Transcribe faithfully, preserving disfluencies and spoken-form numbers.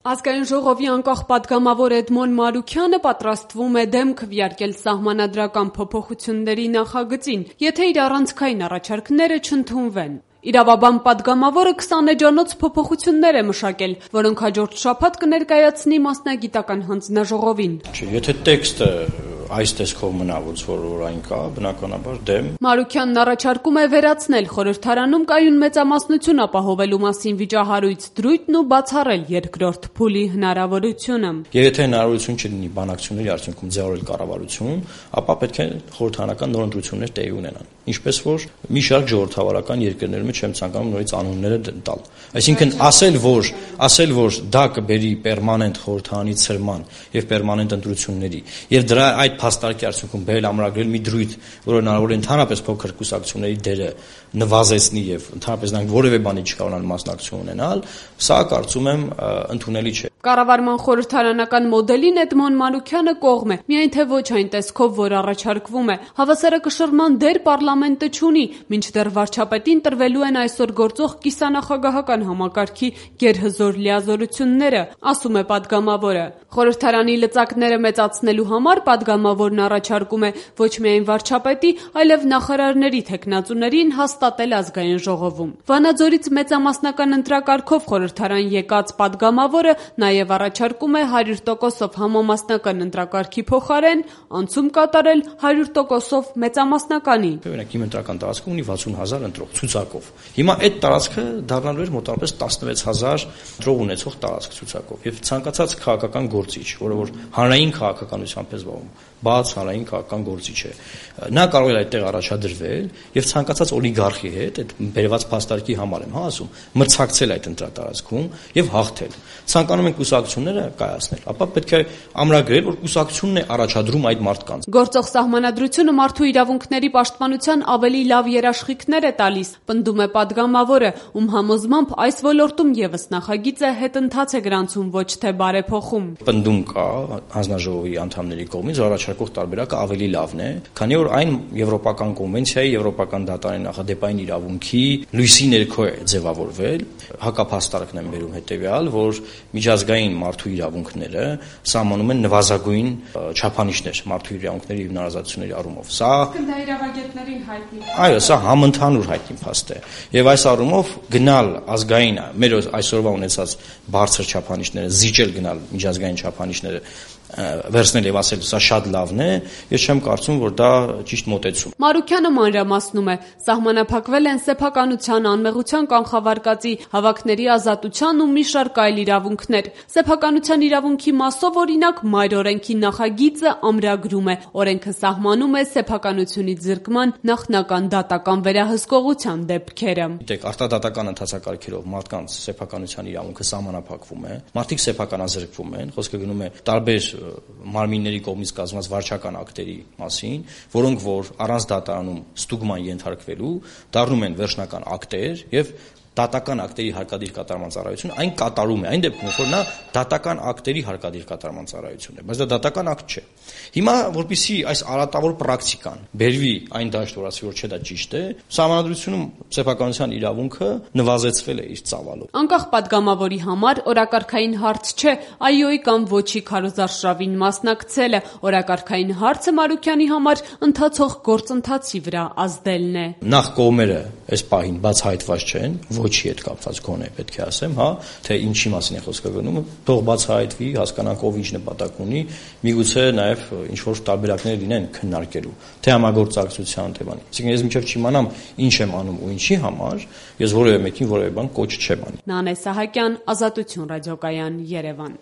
Ազգային ժողովի անկախ պատգամավոր Էդմոն Մարուքյանը պատրաստվում է դեմ քվեարկել սահմանադրական փոփոխությունների նախագծին, եթե իր առանցքային առաջարկները չընդունվեն։ Իրավաբան պատգամավորը քսան էջանոց փոփոխություններ է մշակել, որոնք հաջորդ շաբաթ կներկայացնի մասնագիտական հանձնաժողովին։ Եթե տեքստը այս տեսքով մնա, որ որային կա, բնականաբար դեմ։ Մարուքյանն առաջարկում է վերացնել խորհրդարանում կայուն մեծամասնություն ապահովելու մասին վիճահարույց դրույթն ու բացառել երկրորդ փուլի հնարավորությունը։ Եվ եթե հնարավորություն չլինի բանակցությունների արդյունքում ձևավորել կառավարություն, ապա պետք է խորհրդարանական նորընտրություններ տեղի ունենան։ Ինչպես որ մի շարք ժողովրդավարական երկրներում չեմ ցանկանում նորից անունները տալ։ Այսինքն ասել, որ ասել, որ դա կբերի պերմանենտ խորհրդարանի ցրման եւ պերմանենտ ընտրությունների եւ դրա այդ փաստարկի արդյունքում բերել ամրագրել մի դրույթ, որը հնարավոր է ընդհանրապես փոքր կուսակցությունների դերը նվազեցնի եւ ընդհանրապես նրանք որևէ բանի չկարողանան մասնակցություն ունենալ, սա կարծում եմ ընդունելի չէ։ Կառավարման խորհրդարանական մոդելին Էդմոն Մարուքյանը կողմ է, միայն թե ոչ այն տեսքով, որ առաջարկվում է։ Հավասարակշռման դեր պարլամենտը չունի, մինչդեռ վարչապետին տրվելու են այսօր գործող կիսանախագահական համակարգի գերհզոր լիազորությունները, ասում է պատգամավորը։ Խորհրդարանի լծակները մեծացնելու համար պատգամավորն առաջարկում է ոչ միայն վարչապետի, այլև նախարարների թեկնածուներին հաստատել ազգային ժողովում։ Վանաձորից մեծամասնական ընտրակարգով խորհրդարան եկած պատգամավորը նաև առաջարկում է հարյուր տոկոսով համամասնական ընտրակարգի փոխարեն անցում կատարել հարյուր տոկոսով մեծամասնականի։ Օրինակ իմ ընտրական տարածքը ունի վաթսուն հազար ընտրող ցուցակով։ Հիմա այդ տարածքը դառնալու էր մոտավորապես տասնվեց հազար ընտրող ունեցող տարածք ցուցակով եւ ցանկացած քաղաքական գործիչ, որը որ հանրային քաղաքականությամբ է զբաղվում, բաց հանրային քաղաքական գործիչ է, նա կարող է այդտեղ առաջադրվել եւ ցանկացած օլիգարխի հետ այդ բերված փաստարկի համար եմ հա ասում, մրցակցել այդ ընտրատարածքում եւ հաղթել։ Ցանկանում են կուսակցությունները կայացնել, ապա պետք է ամրագրել, որ կուսակցությունն է առաջադրում այդ մարդկանց։ Գործող սահմանադրությունը մարդու իրավունքների պաշտպանության ավելի լավ երաշխիքներ է տալիս, պնդում է պատգամավորը, ում համոզմամբ այս ոլորտում եւս նախագիծը հետընթաց է գրանցում, ոչ թե բարեփոխում։ Պնդում կա հանձնաժողովի անդամների կողմից, որ առաջարկող տարբերակը ավելի լավն է, քանի որ այն եվրոպական կոնվենցիայի, եվրոպական դատարանի նախադեպային իրավունքի լույսի ներքո է ձևավորվել։ Հակափաստարկն եմ բերում հետեւյալ, որ միջազգային մարդու իրավունքները սահմանում են նվազագույն չափանիշներ մարդու իրավունքների եւ հնարազատությունների առումով։ Սա դա իրավագետներին հայտնի։ Այո, սա համընդհանուր հայտնի փաստ է։ Եվ այս առումով գնալ ազգային մեր այսօրվա ունեցած բարձր չափանիշները, զիջել գնալ միջազգային չափանիշները վերցնել եւ ասել սա շատ լավն է, ես չեմ կարծում, որ դա ճիշտ մոտեցում։ Մարուքյանը մանրամասնում է, սահմանափակվել են սեփականության, անմեղության կանխավարկածի, հավաքների ազատության ու մի շարք այլ իրավունքներ։ Սեփականության իրավունքի մասով օրինակ մայր օրենքի նախագիծը ամրագրում է, օրենքը սահմանում է սեփականությունից զրկման նախնական դատական վերահսկողության դեպքերը։ Գիտեք, արտադատական ընթացակարգերով մարդկանց սեփականության իրավունքը սահմանափակվում է, մարդիկ սեփականազրկվում են, խոսքը գնում է տարբեր մարմինների կողմից կազմված վարչական ակտերի մասին, որոնք որ առանց դատարանում ստուգման ենթարկվելու դառնում են վերջնական ակտեր եւ դատական ակտերի հարկադիր կատարման ծառայությունը այն կատարում է, այն դեպքում որ նա դատական ակտերի հարկադիր կատարման ծառայություն է, բայց դա դատական ակտ չէ։ Հիմա որպեսզի այս արատավոր պրակտիկան բերվի այն դաշտ, որ ասի որ չէ դա ճիշտ է, սահմանադրությունում սեփականության իրավունքը նվազեցվել է իր ծավալով։ Անկախ պատգամավորի համար օրակարգային հարց չէ այ-ի կամ ոչի քարոզարշավին մասնակցելը, օրակարգային հարցը Մարուքյանի համար ընթացող գործընթացի վրա ազդելն է։ Նախ կողմերը այս պահին բացահայտված չեն, ոչի հետ կապված գոնե պետք է ասեմ, հա, թե ինչի մասին է խոսքը գնում, թող բացահայտվի, հասկանանք ով ինչ նպատակ ունի, միգուցե նաև ինչ որ տարբերակներ լինեն քննարկելու, թե համագործակցության, թե բանի։ Այսինքն ես մինչև չիմանամ ինչ եմ անում ու ինչի համար, ես որևէ մեկին որևէ բան կոչ չեմ անի։ Նանե Սահակյան, Ազատություն ռադիոկայան, Երևան։